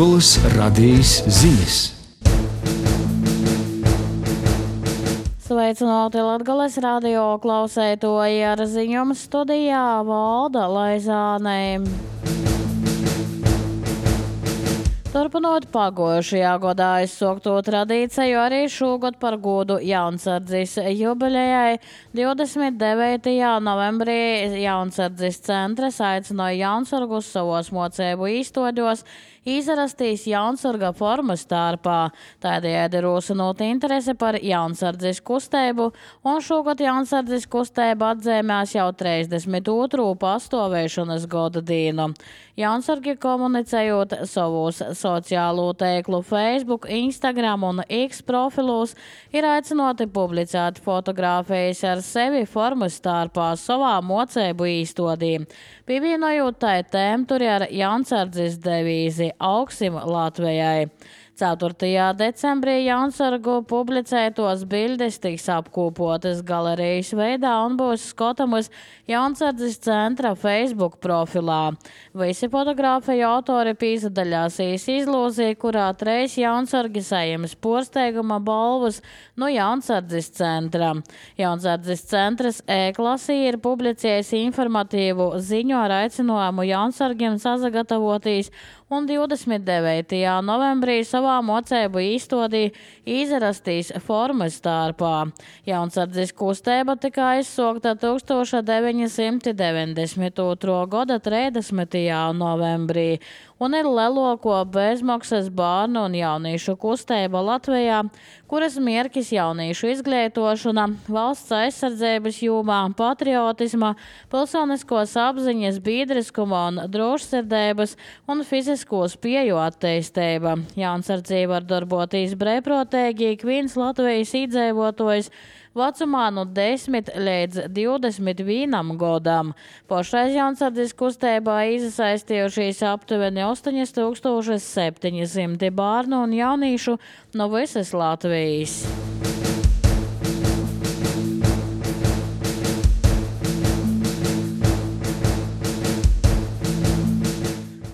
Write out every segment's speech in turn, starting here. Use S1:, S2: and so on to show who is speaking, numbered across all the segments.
S1: Latgoles radījis ziņas.
S2: Sveicināti Latgoles radio klausētoji, ar ziņām studijā Valda Laizāne. Turpinot pagojušajā gadā aizsākto tradīciju, arī šogad par godu Jaunsardzes jubilejai 29. novembrī Jaunsardzes centrs aicināja jaunsargus savos mocēbu īstoļos izrastīs jaunsarga formu starpā, tādējādi rosinot interesi par jaunsardzes kustību, un šogad jaunsardzes kustība atzīmēs jau 32. pastāvēšanas gada dienu. Jaunsargi komunicējot savos sociālo tīklu Facebook, Instagram un X profilos ir aicināti publicēt fotogrāfijas ar sevi formu starpā savā mocēbu īstodī. Pievienojot tai tēmturi ar jaunsardzes devīzi Augsim Latvijai. 4. decembrī jaunsargu publicētos bildes tiks apkopotas galerijas veidā un būs skatāmas Jaunsardzes centra Facebook profilā. Visi fotogrāfiju autori pīsadaļāsīs izlozī, kurā 3 jaunsargi saņems porsteiguma balvas no Jaunsardzes centra. Jaunsardzes centras e-klasī ir publicējis informatīvu ziņu ar aicinājumu jaunsargiem sazagatavotīs un 29. novembrī savā mocēbu īstodī izrastīs formas starpā. Jaunsardzes kustība tika aizsākta 1992. gada 30. novembrī un ir lielāko bezmaksas bērnu un jauniešu kustība Latvijā, kuras mērķis jauniešu izglītošana, valsts aizsardzības jomā, patriotisma, pilsoniskos apziņas, biedriskuma un drošsirdības un fizisko spēju attīstība. Jaunsardzī var darboties brīvprātīgi ik viens Latvijas iedzīvotājs vecumā no 10 līdz 21 gadam. Pašreiz Jaunsardzes kustībā iesaistījušies aptuveni 8700 bērnu un jauniešu no visas Latvijas.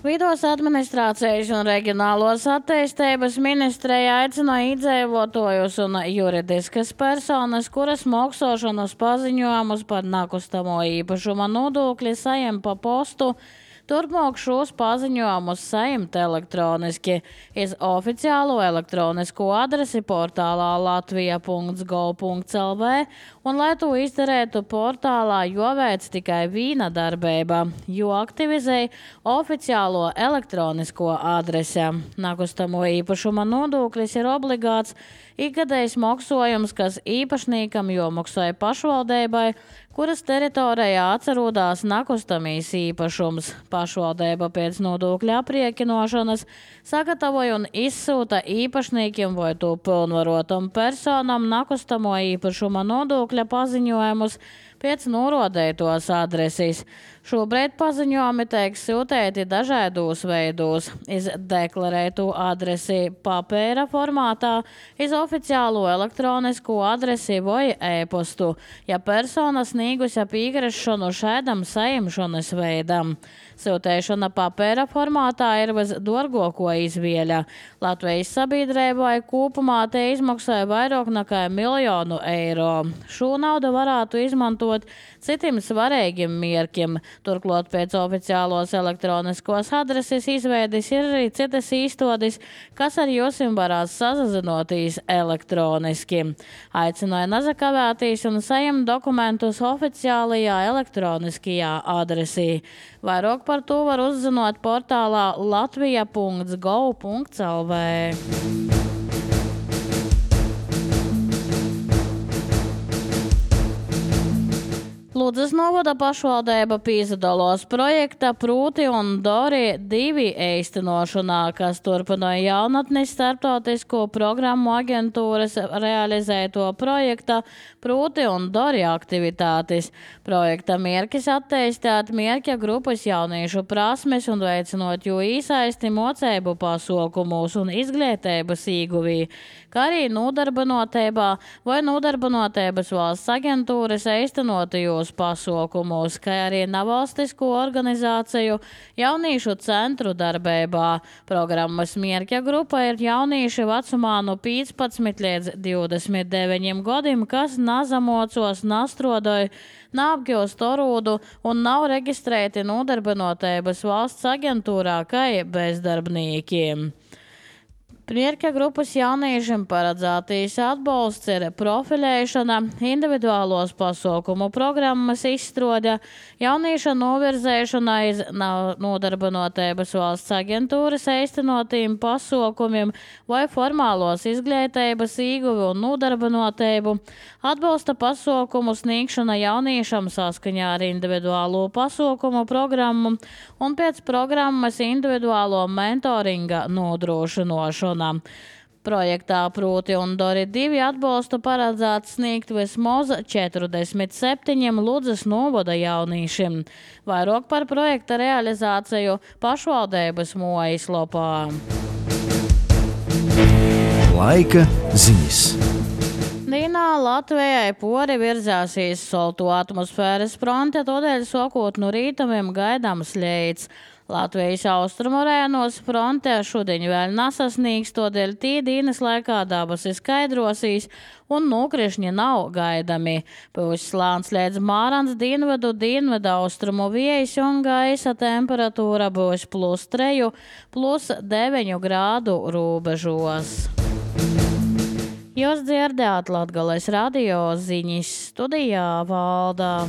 S2: Vidos administrācijas un reģionālos attīstības ministrija aicināja iedzīvotājus un juridiskas personas, kuras maksāšanas paziņojumus par nekustamo īpašuma nodokli saņem pa postu, turpmāk šos paziņojumus saņemt elektroniski iz oficiālo elektronisko adresi portālā latvija.gov.lv, un lai to izdarētu portālā jāveic tikai viena darbība, jo aktivizē oficiālo elektronisko adresi. Nekustamo īpašuma nodoklis ir obligāts ikgadējs maksājums, kas īpašniekam jāmaksā pašvaldībai, kuras teritorijā atrodas nekustamais īpašums. Pašvaldība pēc nodokļa aprēķināšanas sagatavoja un izsūta īpašniekiem vai to pilnvarotam personam nekustamo īpašuma nodokļa paziņojumus pēc norādītos adreses. Šobrīd paziņojumi tiek sūtīti dažādos veidos, iz deklarētu adresi papīra formātā, iz oficiālo elektronisko adresi vai e-postu, ja persona sniegusi piekrīšanu šādam saņemšanas veidam. Sūtīšana papīra formātā ir visdārgākā izvēle. Latvijas sabiedrībai kopumā te izmaksāja vairāk nekā 1 miljonu eiro. Šo naudu varētu izmantot citiem svarīgiem mērķiem. Turklāt pēc oficiālos elektroniskos adreses izveides ir arī citas īstodis, kas ar jums varās sazinoties elektroniski. Aicināja nezakavēties un saņemt dokumentus oficiālajā elektroniskajā adresī. Vairāk par to var uzzināt portālā latvija.gov.lv. Ludzas novada pašvaldība piedalās projekta Prūti un Dori 2 īstenošanā, kas turpināja jaunatnes starptautisko programmu aģentūras realizēto projekta Prūti un Dori aktivitātes. Projekta mērķis attīstīt mērķa grupas jauniešu prasmes un veicinot jo īsaisti mocēbu pasaukumos un izglītības īguvī, kā arī nodarbinotībā vai nodarbinotības valsts aģentūras īstenotajos dažādus pasaukumus, kā arī nevalstisko organizāciju jauniešu centru darbībā. Programmas mērķa grupa ir jaunieši vecumā no 15 līdz 29 gadiem, kas nazamocos, nastrodoja, neapgūst orūdu un nav reģistrēti nodarbinotības valsts aģentūrā kā bezdarbniekiem. Mērķa grupas jauniešiem paredzētīs atbalsts ir profilēšana, individuālos pasaukumu programmas izstrāde, jaunieša novirzēšana iz nodarbinotības valsts aģentūras īstenotīm pasaukumiem vai formālos izglītības ieguvi un nodarbinotību, atbalsta pasaukumu sniegšana jauniešam saskaņā ar individuālo pasaukumu programmu un pēc programmas individuālo mentoringa nodrošinošanu. Projektā Prūti un Dori 2 atbalstu paredzēts sniegt vismaz 47 Ludzas novada jauniešiem. Vairāk par projekta realizāciju pašvaldības mājaslapā.
S1: Laika ziņas.
S2: Dienā Latvijai pori virzāsīs soltu atmosfēras fronte, tādēļ sākot no rītamiem gaidāms leids. Latvijas austrumu rajonos fronte šodien vēl nesasniegs, tādēļ tī dienas laikā dabas ir skaidrosīs un nokrišņi nav gaidami. Pūs slāns līdz Mārans dienvedu austrumu viejas un gaisa temperatūra būs +3, +9 grādu robežos. Jūs dzirdējāt Latgales radio ziņas, studijā Valda.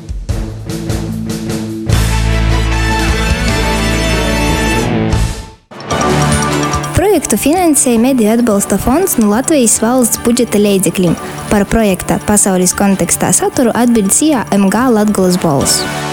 S3: Projektu finansēja Mediju atbalsta fonds no Latvijas valsts budžeta līdzekļiem. Par projekta pasaules kontekstā saturu atbild MG Latgales balss.